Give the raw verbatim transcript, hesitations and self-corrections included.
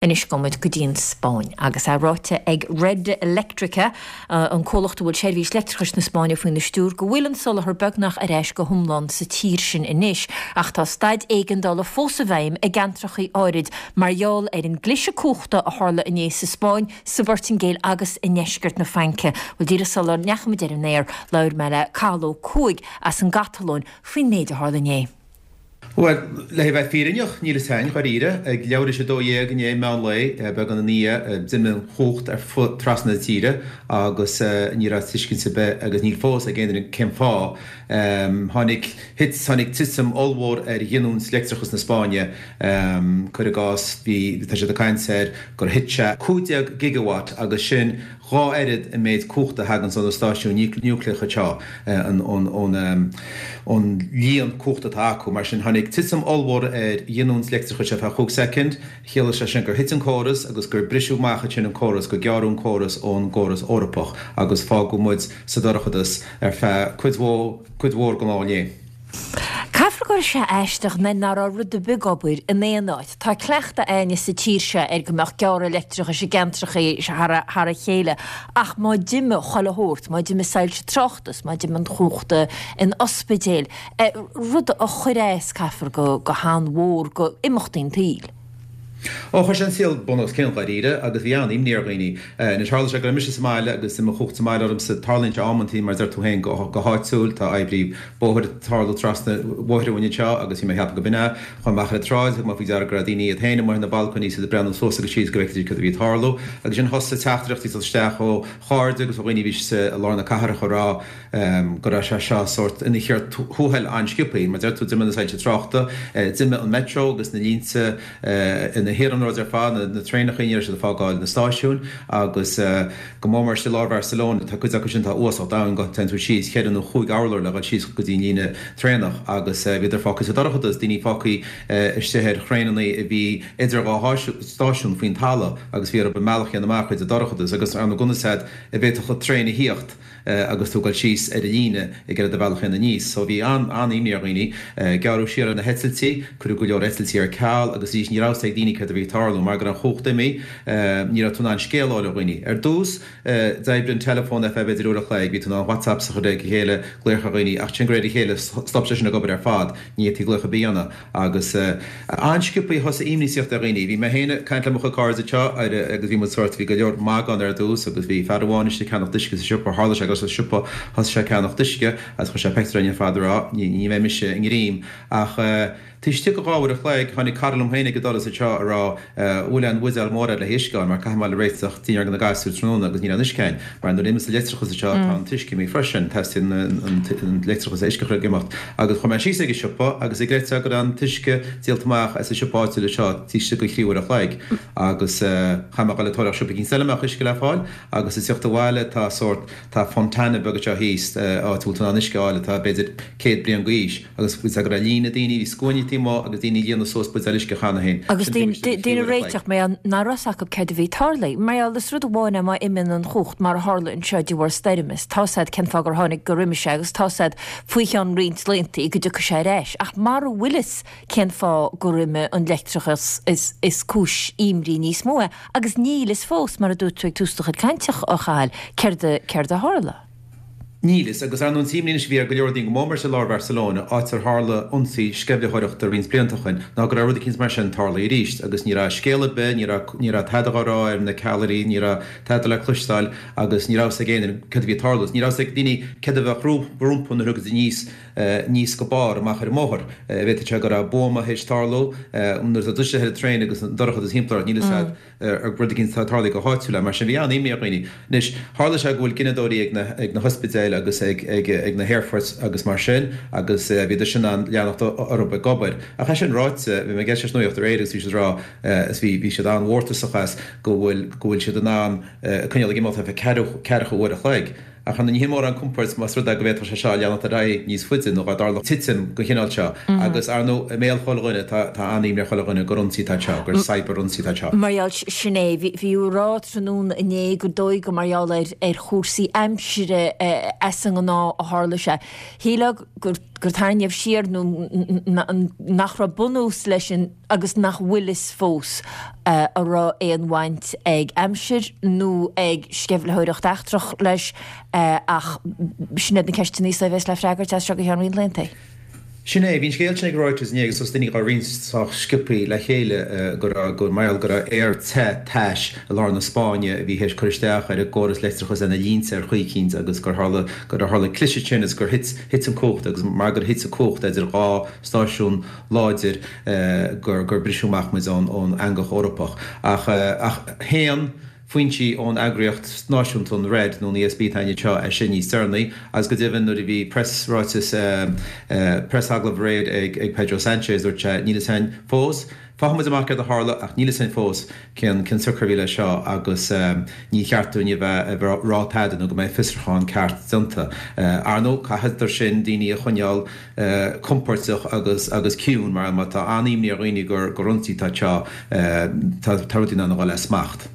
Anois gabhfaidh muid go dtí an Spáinn agus é ráite ag Red Eléctrica, an comhlacht a bhfuil seirbhís leictreachais na Spáinne faoina stiúir, go bhfuil an soláthar beagnach ar ais go hiomlán sa tír sin anois. Ach tá staid éigeandála fós i bhfeidhm i gceantracha áirid mar gheall ar an gcliseadh cumhachta a tharla inné sa Spáinn, sa bPortaingéil agus i ndeisceart na Fraince. Bhuel, díreach sula ndeachaigh muid ar an aer, labhair mé le Cathal Ó Cuaig as an gCatalóin faoin méid a tharla inné. Bhuel, le bheith fírinneach, níl a fhios againn, dháiríre. Ag leathuair théis a dó dhéag inné, meán lae, beagán ina dhiaidh, d'imigh an chumhacht ar fud trasna na tíre agus ní raibh tuiscint ar bith, agus níl fós, ag aon duine cén fáth. Tháinig, thit, tháinig titim ollmhór ar ghiniúint leictreachas na Spáinne. Cuir i gcás, bhí, tá siad ag caint ar gur thit sé cúig déag gigawatt agus sin dhá oiread an méid cumhachta a thaganns ó na stáisiúin núicléacha anseo, ón líon cumhachta atá acu. Mar sin, tháinig titim ollmhór ar ghiniúint leictreachais ar feadh chúig soicind. Chiallaigh sé sin gur thit an córas agus gur briseadh amach ansin an córas, gur gearradh an córas ón gcóras Eorpach agus fágadh muid sa dorchadas ar feadh cuid mhór den lá inné. Caithfear go raibh sé aisteach nuair nach raibh rud ar bith ag obair in aon áit. Tá cleachtadh a'inne sa tír seo ar go mbeadh gearradh leictreachais i gceantrachaí thar a chéile ach má d'imigh chuile shórt, má d'imigh soilse tráchta, má d'imigh an chumhacht in ospidéil, rud a chuir as, caithfear, go han-mhór go imeachtaí an tsaoil. Ó, chuir sé an saol bun os cionn, dháiríre, agus bhí an-imní ar dhaoine. Anois, tharla sé go raibh mise sa mbaile agus d'imigh an chumhacht sa mbaile ormsa. Tarlaíonn sé amantaí, mar a deir tú féin, go háitiúil. Tá oibrí bóthair ag tarlú trasna an bhóthair uainn anseo agus bhí mé ag ceapadh go b'in é. Chuaigh mé amach ar an tsráid, thug mé faoi deara go raibh daoine iad féin amuigh ar na balcóiní is iad ag breathnú suas agus síos go bhfeicfidís cad a bhí ag tarlú. Agus ansin thosaigh teachtaireachtaí ag dul isteach ó chairde agus ó dhaoine a bhí i lár na cathrach ag rá go raibh sé seo sórt ina chíor thuathail an-sciobthaí. Mar a deir tú, d'imigh na soilse tráchta, d'imigh an metro agus na línte na hiarnróid ar fad, na traenacha, ní raibh siad ag fágáil na stáisiúin agus go mór mór istigh i lár Bharcelona, tá cuid acu sin atá uasal domhain, go dtéann tú síos cheithre nó chúig urlár le dhul síos go dtí an líne traenach agus bhíodar fágtha sa dorchadas, daoine fágtha istigh ar thraenanna a bhí idir dhá stáisiún faoin talamh agus bhí orthu a mbealach a dhéanamh amach tríd an dorchadas agus ar ndóigh conas a bhféadfadh traein a thíocht. agus tú ag dul síos ar an líne ag iarraidh do bhealach a dhéanamh aníos. So bhí an-imní ar dhaoine. Gearradh siar ar na heitiltí, cuireadh go leor eitiltí ar ceal agus arís ní raibh fhios ag daoine céard a bhí ag tarlú. Mar go raibh an chumhacht imithe, ní raibh tú in ann scéal a fháil ó dhaoine. Ar dtús, d'oibrigh an teileafón ar feadh b'fhéidir uair a chloig, bhí tú in ann WhatsApps a chur ag a chéile, glaoch ar dhaoine, ach ansin de réir a chéile stop sé sin ag obair ar fad, ní fhéadfaí glaoch ar bith a dhéanamh. Agus an-sciobthaí thosaigh imní ag tíocht ar dhaoine. Bhí mé féin ag caint le mo chuid cairde anseo agus bhí muid sórt, bhí go leor magadh ann ar dtús agus bhí fear amháin istigh ag ceannacht uisce sa siopa, tharla sé go raibh sé sa siopa, thosaigh sé ag ceannacht uisce agus chuir sé pictiúr orainn ar fad ag rá ní bheidh mise i ngreim ach taobh istigh de dhá uair a chloig tháinig cara liom féin ag an doras anseo ag rá bhfuil aon bhuidéal mór agat le huisce a fháil mar caithfidh mé dul ag réiteach dinnéar do na gasúir tráthnóna agus níl aon uisce againn mar nuair a imíonn an leictreachas anseo tá an t-uisce imithe freisin, teastaíonn an leictreachas le uisce a chur ag imeacht agus chuaigh mé síos ag an siopa agus an gcreidfeá go raibh an t-uisce díolta amach as an siopa áitiúil anseo taobh istigh de thrí uair a chloig agus chaith mé dhul ag tóraíocht siopa eicínt eile a mbeadh uisce le fáil agus ag tíocht abhaile tá sórt tá fontana beag anseo thíos áit a bhfuil tú in ann uisce a fháil atá b'fhéidir céad bliain d'aois agus bhí go raibh líne daoine, bhí scuainí taobh amuigh agus daoine ag líonadh suas buidéil uisce cheana féin. Agus daoine ag réiteach mar gheall nach raibh fhios acu céard a bhí ag tarlú. Mar gheall is rud amháin é má imíonn an chumhacht mar a tharla anseo de bharr stoirme is tá fhios a'd cén fáth gur tháinig gur imigh sé agus tá fhios a'd faoi cheann roinnt laethanta go dtiocfaidh sé ar ais. Ach mara bhfuil fhios cén fáth gur imigh an leictreachas is is cúis imní níos mó é agus níl fhios fós mar a dúirt tú ag tús do chuid cainte a Chathail céard a céard a tharla. Níl fhios, agus ar ndóigh an t-imní anois a bhí ar go leor daoine, go mór mór i lár Bharcelona, áit ar tharla ionsaí sceimhlitheoireachta roinnt blianta ó shin, ná go raibh rud eicínt mar sin tarlaithe arís. Agus ní raibh scéal ar bith, ní raibh, ní raibh tada á rá ar na ceallraí, ní raibh tada le cloisteáil agus ní raibh fhios ag éinne céard a bhí ag tarlú. Ní raibh fhios ag daoine céard a bheadh rompu nuair a thiocfaidís aníos, aníos go barr amach ar an mbóthar. Bhféadfadh sé go raibh buama théis tarlú nuair atá tú istigh ar an traein agus an dorchadas timpeall ort, níl fhios a'd. ar rud eicínt atá tarlaithe go háitiúil é. Mar sin, bhí an-imní ar dhaoine. Anois, tharla sé go bhfuil gineadóirí ag na, ag na hospidéil agus ag, ag, ag na haerfoirt agus mar sin agus bhíodar sin in ann leanacht orthu ag obair. Ach é sin ráite, bhí mé ag éisteacht leis an nuacht aréir agus bhí siad ag rá, is bhí, bhí siad an-mhórtasach as, go bhfuil, go bhfuil siad in ann coinneáil ag imeacht ar feadh ceathrú, ceathracha uair a chloig. Ach ar ndóigh ní hé mórán compoird más rud é go bhféadfadh sé seo leanacht ar aghaidh níos faide nó dá dtarlódh titim den chineál seo. Agus, ar ndóigh, i mbéal chuile dhuine, tá tá an-imní ar chuile dhuine gur ionsaí atá anseo, gur cyber-ionsaí atá anseo. Mar gheall, sin é. Bhí bhí á rá tráthnóna inné gur dóigh gur mar gheall ar ar chúrsaí aimsire as an ngnáth a tharla sé. Shílfeá gur gur tarraingíodh siar nó nach raibh bunús leis an agus nach bhfuil fhios fós an raibh aon bhaint ag aimsir nó ag sceimhlitheoireacht eachtrach leis ach sin iad na ceisteanna a bheas le freagairt as seo go ceann roinnt laethanta. Sin é, bhí an scéal sin ag Reuters inné agus thosaigh daoine á roinnt sách sciobthaí le chéile go raibh, go mar gheall go raibh aer te tais i lár na Spáinne a bhí théis cur isteach ar an gcóras leictreachais ar na línte ar chaoi eicínt agus gur tharla, gur tharla cliseadh sin agus gur thit, thit an cumhacht agus mar gur thit an cumhacht idir dhá stáisiún láidir gur, gur briseadh amach muid ón, ón eangach Eorpach. Ach, ach shéan foinsí ón eagraíocht náisiúnta an Red nó an E S B atá anseo é sin níos deireanaí agus go deimhin nuair a bhí preasráiteas preasagallamh aréir ag ag Pedro Sánchez dúirt sé níl fhios againn fós. Faighidh muid amach céard a tharla ach níl fhios againn fós cén cén siocair a bhí leis seo agus ní cheart dúinn a bheith ag rá tada nó go mbeidh fiosrúchán ceart déanta. Ar ndóigh caithfear sin daoine a choinneáil compordach agus agus ciúin mar má tá an-imní ar dhaoine gur gur ionsaí atá anseo tá tá rudaí in ann a dhul as smacht.